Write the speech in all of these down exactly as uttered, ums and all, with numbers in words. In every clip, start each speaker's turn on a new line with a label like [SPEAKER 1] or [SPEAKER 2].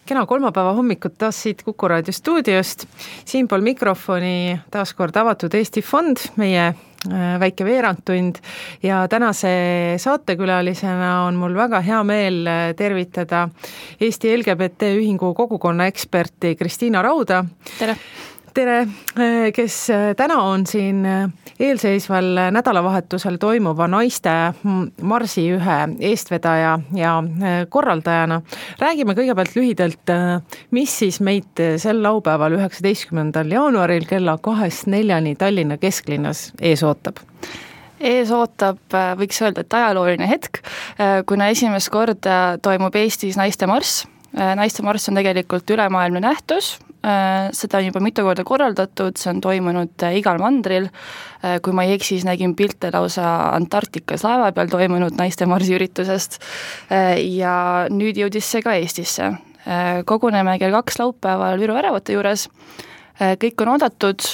[SPEAKER 1] Kena kolmapäeva hommikut taas siit Kuku Raadio stuudiost. Siinpool mikrofoni taas kord Avatud Eesti Fond, meie väike veerandtund ja tänase saatekülalisena on mul väga hea meel tervitada Eesti L G B T ühingu kogukonna eksperti Kristiina Rauda.
[SPEAKER 2] Tere!
[SPEAKER 1] Tere, kes täna on siin eelseisval nädalavahetusel toimuva naiste marsi ühe eestvedaja ja korraldajana. Räägime kõigepealt lühidalt, mis siis meid sel laupäeval üheksateistkümnendal jaanuaril kella kahest neljani Tallinna kesklinnas ees ootab.
[SPEAKER 2] Ees ootab, võiks öelda, et ajalooline hetk, kuna esimest korda toimub Eestis naiste marss. Naiste marss on tegelikult ülemaailmne nähtus, seda on juba mitu korda korraldatud, see on toimunud igal mandril, kui ma ei eksi, siis nägin pilte lausa Antarktikas laeva peal toimunud naiste marsi üritusest ja nüüd jõudis see ka Eestisse. Koguneme kell kaks laupäeval Viru väravate juures, kõik on oodatud,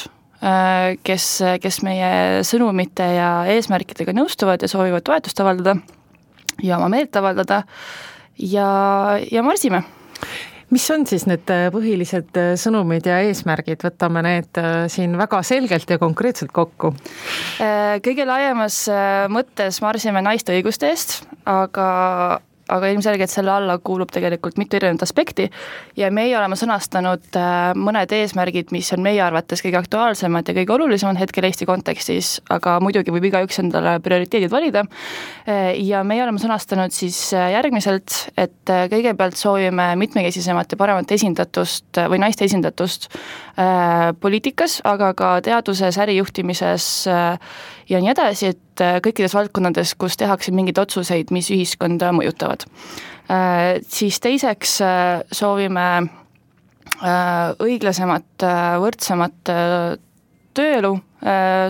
[SPEAKER 2] kes, kes meie sõnumite ja eesmärkidega nõustuvad ja soovivad toetust avaldada ja oma meelt avaldada ja, ja marsime.
[SPEAKER 1] Mis on siis need põhilised sõnumid ja eesmärgid? Võtame need siin väga selgelt ja konkreetselt kokku.
[SPEAKER 2] Kõige laiemas mõttes marsime naiste õiguste eest, aga aga ilmselgelt selle alla kuulub tegelikult mitu erinevat aspekti ja meie oleme sõnastanud mõned eesmärgid, mis on meie arvates kõige aktuaalsemad ja kõige olulisemad hetkel Eesti kontekstis, aga muidugi võib igaüks endale prioriteedid valida. Ja meie oleme sõnastanud siis järgmiselt, et kõigepealt soovime mitmekesisemat ja paremat esindatust või naiste esindatust poliitikas, aga ka teaduses, ärijuhtimises ja nii edasi, et kõikides valdkondades, kus tehakse mingeid otsuseid, mis ühiskonda mõjutavad. Siis teiseks soovime õiglasemat, võrdsemat tööelu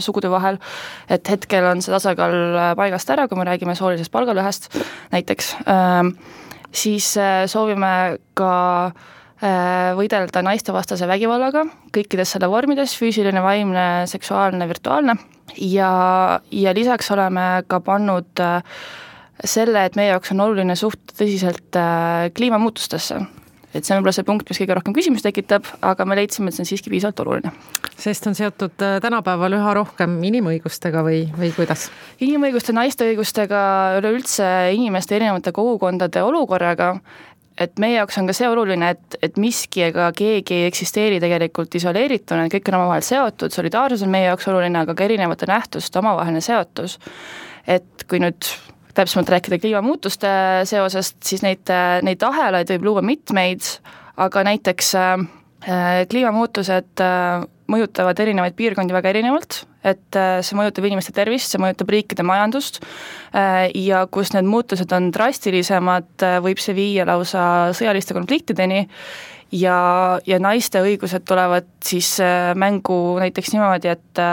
[SPEAKER 2] sugude vahel, et hetkel on see tasakaal paigast ära, kui me räägime soolisest palgalõhest näiteks. Siis soovime ka võidelda naistevastase vägivallaga kõikides selle vormides, füüsiline, vaimne, seksuaalne, virtuaalne ja, ja lisaks oleme ka pannud selle, et meie jaoks on oluline suht tõsiselt kliimamuutustesse. Et see on võib-olla see punkt, mis kõige rohkem küsimus tekitab, aga me leidsime, et see on siiski piisavalt oluline.
[SPEAKER 1] Sest on seotud tänapäeval üha rohkem inimõigustega või, või kuidas?
[SPEAKER 2] Inimõiguste, naiste õigustega, üleüldse inimeste erinevate kogukondade olukorraga, et meie jaoks on ka see oluline, et, et miski ega keegi ei eksisteeri tegelikult isoleerituna, kõik on omavahel seotud, solidaarsus on meie jaoks oluline, aga ka erinevate nähtuste omavaheline seotus. Et kui nüüd täpsemalt rääkida kliimamuutuste seosest, siis neid, neid ahelaid võib luua mitmeid, aga näiteks äh, kliimamuutused äh, mõjutavad erinevaid piirkondi väga erinevalt, et see mõjutab inimeste tervist, see mõjutab riikide majandust ja kus need muutused on drastilisemad, võib see viia lausa sõjaliste konfliktideni ja, ja naiste õigused tulevad siis mängu näiteks niimoodi, et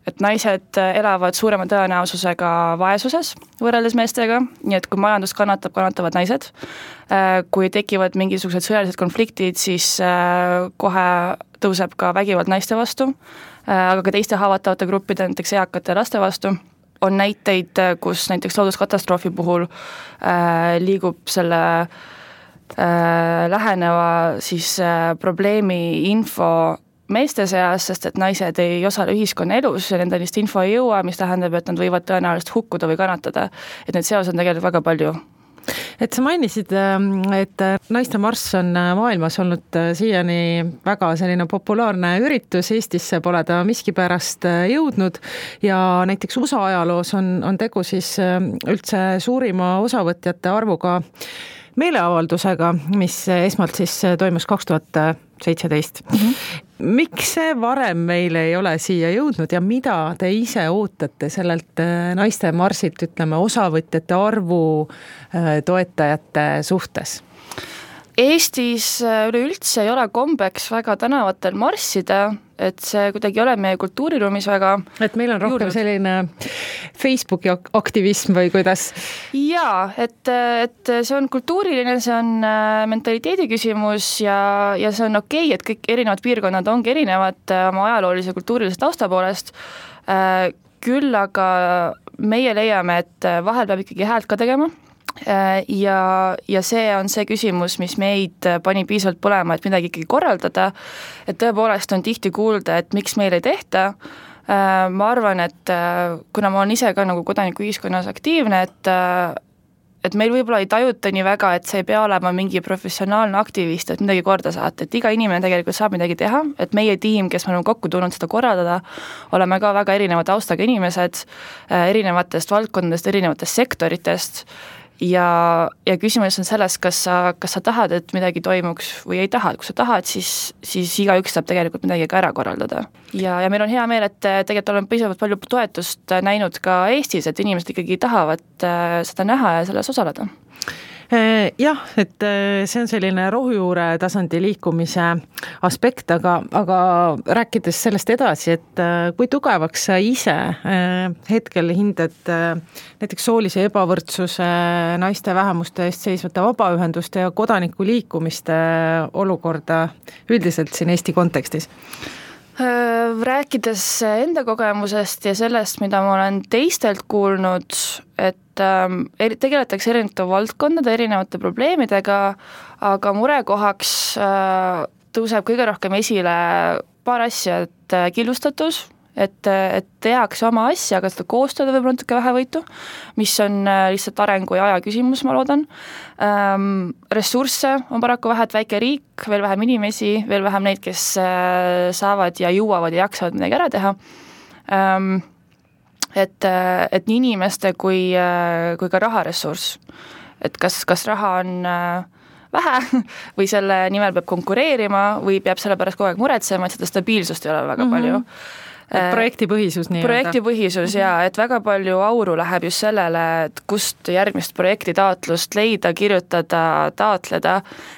[SPEAKER 2] et naised elavad suurema tõenäosusega vaesuses võrreldes meestega, nii et kui majandus kannatab, kannatavad naised. Kui tekivad mingisugused sõjalised konfliktid, siis kohe tõuseb ka vägivald naiste vastu, aga ka teiste haavatavate gruppide, näiteks eakate laste vastu. On näiteid, kus näiteks looduskatastroofi puhul liigub selle läheneva siis probleemi info meeste seas, sest et naised ei osale ühiskonna elus ja nende lihtsalt info ei jõua, mis tähendab, et nad võivad tõenäoliselt hukkuda või kannatada. Et need seos on tegelikult väga palju.
[SPEAKER 1] Et sa mainisid, et naiste marss on maailmas olnud siiani väga selline populaarne üritus, Eestisse pole ta miskipärast jõudnud ja näiteks U S A ajaloos on, on tegu siis üldse suurima osavõtjate arvuga meeleavaldusega, mis esmalt siis toimus kaks tuhat seitseteist. Mm-hmm. Miks see varem meile ei ole siia jõudnud ja mida te ise ootate sellelt naiste marsilt, ütleme, osavõtjate arvu toetajate suhtes?
[SPEAKER 2] Eestis üleüldse ei ole kombeks väga tänavatel marssida, et see kuidagi ei ole meie kultuuriruumis väga.
[SPEAKER 1] Et meil on rohkem juurnud. Selline Facebooki aktivism või kuidas?
[SPEAKER 2] Jaa, et, et see on kultuuriline, see on mentaliteedi küsimus ja, ja see on okei, et kõik erinevad piirkonnad ongi erinevad oma ajaloolise kultuurilise tausta poolest. Küll aga meie leiame, et vahel peab ikkagi häält ka tegema. ja, ja see on see küsimus, mis meid pani piisavalt põlema, et midagi ikkagi korraldada, et tõepoolest on tihti kuulda, et miks meil ei tehta. Ma arvan, et kuna ma olen ise ka nagu kodanikuühiskonnas aktiivne, et et meil võib-olla ei tajuta nii väga, et see ei pea olema mingi professionaalne aktivist, et midagi korda saata, et iga inimene tegelikult saab midagi teha, et meie tiim, kes me oleme kokku tulnud seda korraldada, oleme ka väga erineva taustaga inimesed, erinevatest valdkondadest, erinevatest sektoritest, ja, ja küsimus on selles, kas sa, kas sa tahad, et midagi toimuks või ei taha, kui sa tahad, siis, siis igaüks saab tegelikult midagi ka ära korraldada. Ja, ja meil on hea meel, et tegelikult oleme piisavalt palju toetust näinud ka Eestis, et inimesed ikkagi tahavad seda näha ja selles osaleda.
[SPEAKER 1] Jah, et see on selline rohujuure tasandi liikumise aspekt, aga, aga rääkides sellest edasi, et kui tugevaks sa ise hetkel hindad näiteks soolise ebavõrdsuse, naiste vähemuste eest seisvate vabaühenduste ja kodanikuliikumiste olukorda üldiselt siin Eesti kontekstis?
[SPEAKER 2] Rääkides enda kogemusest ja sellest, mida ma olen teistelt kuulnud, et tegeletakse erinevate valdkondade, erinevate probleemidega, aga murekohaks tõuseb kõige rohkem esile paar asja, et killustatus, et, et tehakse oma asja, aga seda koostada võib-olla natuke vähevõitu, mis on lihtsalt arengu ja aja küsimus, ma loodan. Ressursse on paraku vähe, et väike riik, veel vähem inimesi, veel vähem neid, kes saavad ja jõuavad ja jaksavad midagi ära teha. Et, et nii inimeste kui, kui ka raharessurss. Et kas, kas raha on vähe või selle nimel peab konkureerima või peab selle pärast kogu aeg muretsema, et seda stabiilsust ei ole väga mm-hmm. palju.
[SPEAKER 1] Et projektipõhisus nii
[SPEAKER 2] projektipõhisus ja et väga palju auru läheb just sellele, et kust järgmist projekti taotlust leida, kirjutada, taotleda,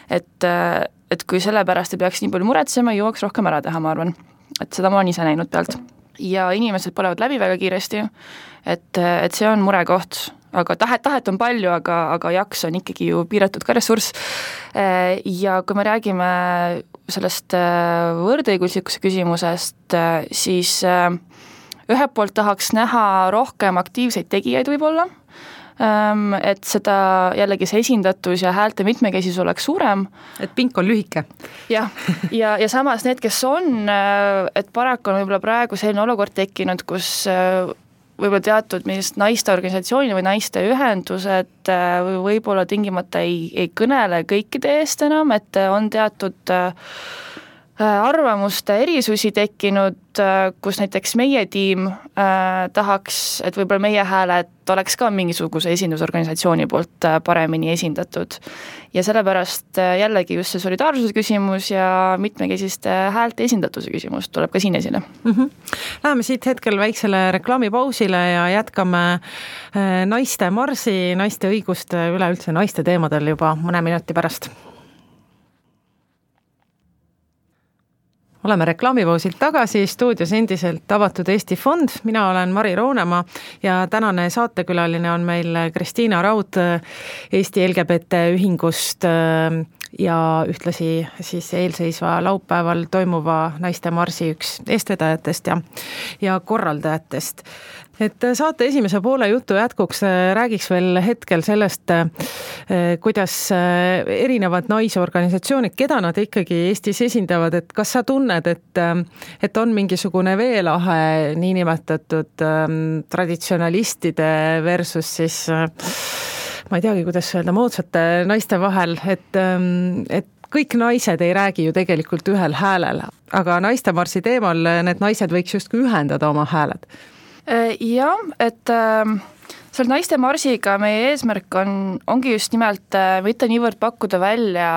[SPEAKER 2] et, et kui selle pärast ei peaks nii palju muretsema, jõuaks rohkem ära teha, ma arvan. Et seda ma olen ise näinud pealt. Ja inimesed põlevad läbi väga kiiresti, et, et see on murekoht, aga tahet, tahet on palju, aga, aga jaks on ikkagi ju piiratud ka ressurss. Ja kui me räägime sellest võrdõiguslikkuse küsimusest, siis ühelt poolt tahaks näha rohkem aktiivseid tegijaid võib-olla, et seda jällegi see esindatus ja häälte mitmekesisus oleks suurem.
[SPEAKER 1] Et pink on lühike.
[SPEAKER 2] Ja, ja, ja samas need, kes on, et paraku on võib-olla praegu selline olukord tekkinud, kus võib-olla teatud millist naiste organisatsiooni või naiste ühendused võib-olla tingimata ei, ei kõnele kõikide eest enam, et on teatud arvamuste erisusi tekkinud, kus näiteks meie tiim tahaks, et võib-olla meie hääled oleks ka mingisuguse esindusorganisatsiooni poolt paremini esindatud. Ja sellepärast jällegi just see solidaarsuse küsimus ja mitmekesiste häälte esindatuse küsimus tuleb ka siin esile.
[SPEAKER 1] Mm-hmm. Läheme siit hetkel väiksele reklaamipausile ja jätkame naiste marsi, naiste õiguste, üleüldse naiste teemadel juba mõne minuti pärast. Oleme reklaamipausilt tagasi, stuudios endiselt avatud Eesti Fond, mina olen Mari Roonemaa ja tänane saatekülaline on meil Kristiina Raud Eesti L G B T ühingust ja ühtlasi siis eelseisva laupäeval toimuva naiste marsi üks eestvedajatest ja, ja korraldajatest. Et saate esimese poole jutu jätkuks räägiks veel hetkel sellest, kuidas erinevad naisorganisatsioonid, keda nad ikkagi Eestis esindavad, et kas sa tunned, et, et on mingisugune veelahe niinimetatud traditsionalistide versus siis ma ei teagi, kuidas öelda, moodsate naiste vahel, et, et kõik naised ei räägi ju tegelikult ühel häälel, aga naistemarsi teemal need naised võiks justkui ühendada oma hääled.
[SPEAKER 2] Jah, et selle naiste marsiga meie eesmärk on, ongi just nimelt mitte niivõrd pakkuda välja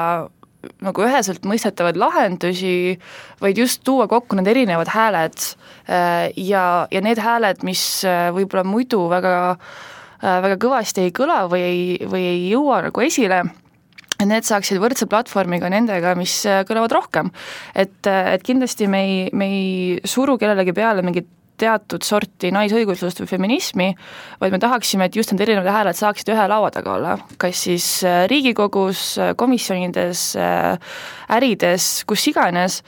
[SPEAKER 2] nagu üheselt mõistetavad lahendusi, vaid just tuua kokku need erinevad hääled ja, ja need hääled, mis võib-olla muidu väga, väga kõvasti ei kõla või ei, või ei jõua nagu esile, et need saaksid võrdse platvormiga nendega, mis kõlavad rohkem. Et, et kindlasti me ei, me ei suru kellelegi peale mingit teatud sorti naisõiguslust või feminismi, vaid me tahaksime, et just need erinevad hääled saaksid ühe laua taga olla, kas siis Riigikogus, komisjonides, ärides, kus iganes,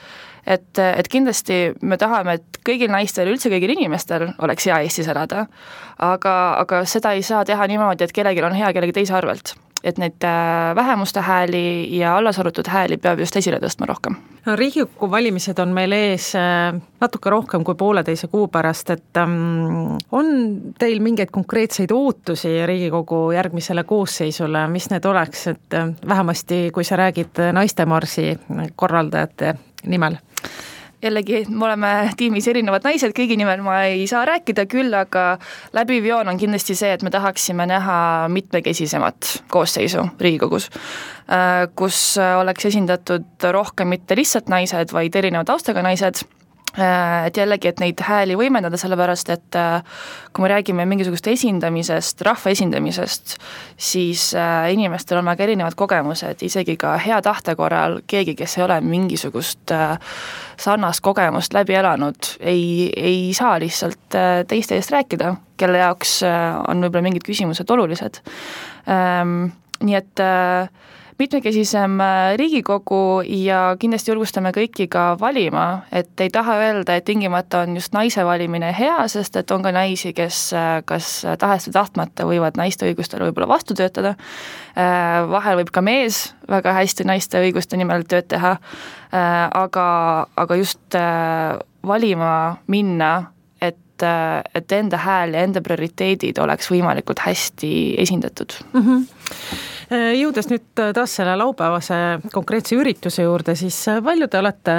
[SPEAKER 2] et, et kindlasti me tahame, et kõigil naistel, üldse kõigil inimestel oleks hea Eestis elada, aga, aga seda ei saa teha niimoodi, et kellelgi on hea kellegi teise arvelt. Et neid vähemuste hääli ja allasarutud hääli peab just esile tõstma rohkem.
[SPEAKER 1] No, Riigikogu valimised on meil ees natuke rohkem kui pooleteise kuu pärast, et um, on teil mingeid konkreetseid ootusi Riigikogu järgmisele koosseisule, mis need oleks, et vähemasti kui sa räägid naistemarsi korraldajate nimel?
[SPEAKER 2] Jällegi, me oleme tiimis erinevad naised, kõigi nimel ma ei saa rääkida, küll aga läbiv joon on kindlasti see, et me tahaksime näha mitmekesisemat koosseisu Riigikogus, kus oleks esindatud rohkem mitte lihtsalt naised, vaid erineva taustaga naised, et jällegi, et neid hääli võimendada, sellepärast, et kui me räägime mingisugust esindamisest, rahva esindamisest, siis inimestel on väga erinevad kogemused, isegi ka hea tahte korral keegi, kes ei ole mingisugust sarnast kogemust läbi elanud, ei, ei saa lihtsalt teiste eest rääkida, kelle jaoks on võib-olla mingid küsimused olulised. Nii et mitmekesisem Riigikogu ja kindlasti julgustame kõiki ka valima, et ei taha öelda, et tingimata on just naise valimine hea, sest et on ka naisi, kes kas tahest või tahtmata võivad naiste õigustele võib-olla vastu töötada. Vahel võib ka mees väga hästi naiste õiguste nimel tööd teha, aga, aga just valima minna, et, et enda hääl ja enda prioriteedid oleks võimalikult hästi esindatud.
[SPEAKER 1] Mm-hmm. Jõudes nüüd taas selle laupäevase konkreetse ürituse juurde, siis palju te olete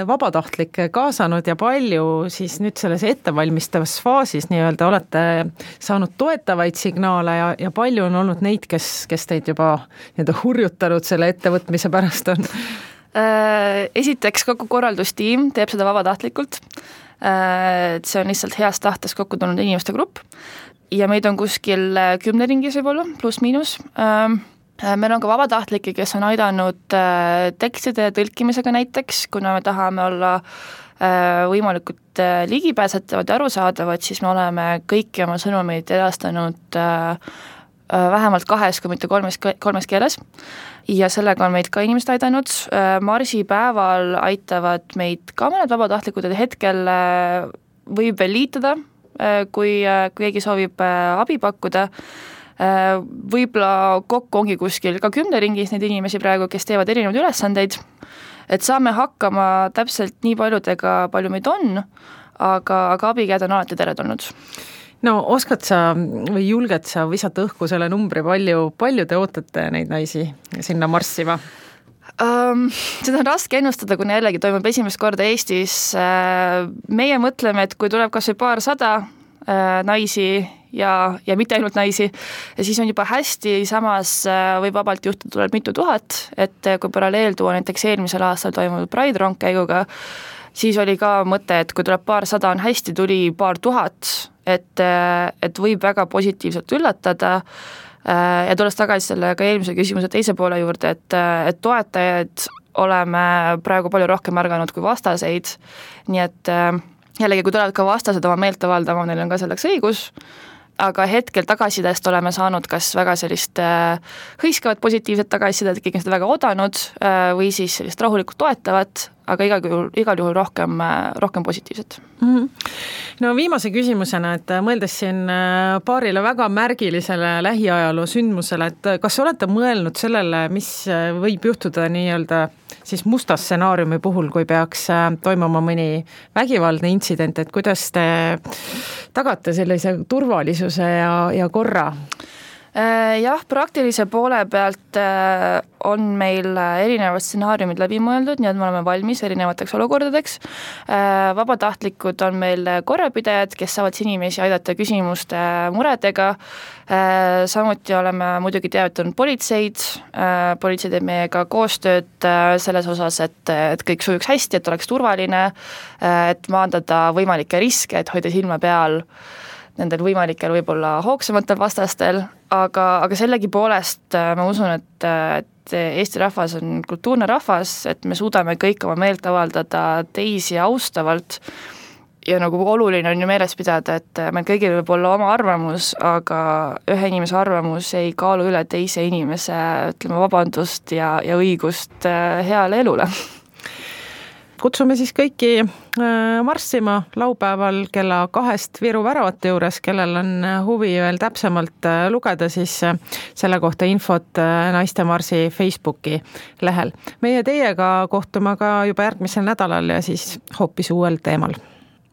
[SPEAKER 1] vabatahtlikke kaasanud ja palju siis nüüd selles ettevalmistavas faasis nii-öelda olete saanud toetavaid signaale ja, ja palju on olnud neid, kes, kes teid juba nii-öelda hurjutanud selle ettevõtmise pärast on?
[SPEAKER 2] Esiteks kogu korraldustiim teeb seda vabatahtlikult. See on lihtsalt heast tahtes kokku tulnud inimeste grupp. Ja meid on kuskil kümne ringis võib-olla, pluss miinus. Meil on ka vabatahtlikke, kes on aidanud tekstide tõlkimisega näiteks, kuna me tahame olla võimalikult ligipääsetavad ja arusaadavad, siis me oleme kõiki oma sõnumeid edastanud vähemalt kahes, kui mitte kolmes, kolmes keeles. Ja sellega on meid ka inimesed aidanud. Marsipäeval aitavad meid ka mõned vabatahtlikud, et hetkel võib veel liituda, kui, kui keegi soovib abi pakkuda. Võib-olla kokku ongi kuskil ka kümne ringis neid inimesi praegu, kes teevad erinevaid ülesandeid, et saame hakkama täpselt nii paljudega, palju meid on, aga, aga abikäed on alati teretulnud.
[SPEAKER 1] No oskad sa või julged sa visata õhku selle numbri, palju, palju te ootate neid naisi sinna marssima?
[SPEAKER 2] Um, seda on raske ennustada, kuna jällegi toimub esimest korda Eestis. Meie mõtleme, et kui tuleb kas või paar sada naisi ja, ja mitte ainult naisi, siis on juba hästi, samas võib vabalt juhtuda, tuleb mitu tuhat, et kui paralleel tuua näiteks eelmisel aastal toimunud Pride rongkäiguga, siis oli ka mõte, et kui tuleb paar sada on hästi, tuli paar tuhat, et, et võib väga positiivselt üllatada. Ja tulles tagasi selle ka eelmise küsimuse teise poole juurde, et, et toetajaid oleme praegu palju rohkem märganud kui vastaseid, nii et jällegi, kui tulevad ka vastased oma meelt avaldama, neil on ka selleks õigus, aga hetkel tagasidest oleme saanud kas väga sellist hõiskavat positiivset tagasisidet, keegi on seda väga odanud või siis sellist rahulikult toetavat, aga igal juhul, igal juhul rohkem, rohkem positiivset.
[SPEAKER 1] Mm-hmm. No viimase küsimusena, et mõeldes siin paarile väga märgilisele lähiajaloo sündmusele, et kas olete mõelnud sellele, mis võib juhtuda nii-öelda siis musta stsenaariumi puhul, kui peaks toimuma mõni vägivaldne intsident, et kuidas te tagate sellise turvalisuse ja, ja korra?
[SPEAKER 2] Jah, praktilise poole pealt on meil erinevad stsenaariumid läbi mõeldud, nii et me oleme valmis erinevateks olukordadeks. Vabatahtlikud on meil korrapidajad, kes saavad inimesi aidata küsimuste muredega. Samuti oleme muidugi teavitanud politseid. Politsei teeb meiega koostööd selles osas, et, et kõik sujuks hästi, et oleks turvaline, et maandada võimalikke riske, et hoida silma peal nendel võimalikel võib-olla hoogsamatel vastastel, aga, aga sellegi poolest ma usun, et, et Eesti rahvas on kultuurne rahvas, et me suudame kõik oma meelt avaldada teisi austavalt ja nagu oluline on ju meeles pidada, et meil kõigil võib olla oma arvamus, aga ühe inimese arvamus ei kaalu üle teise inimese, ütleme, vabandust ja, ja õigust heale elule.
[SPEAKER 1] kutsume siis kõiki marssima laupäeval kella kahest Viru väravate juures, kellel on huvi veel täpsemalt lugeda, siis selle kohta infot Naiste Marsi Facebooki lehel. Meie teiega kohtume ka juba järgmisel nädalal ja siis hoopis uuel teemal.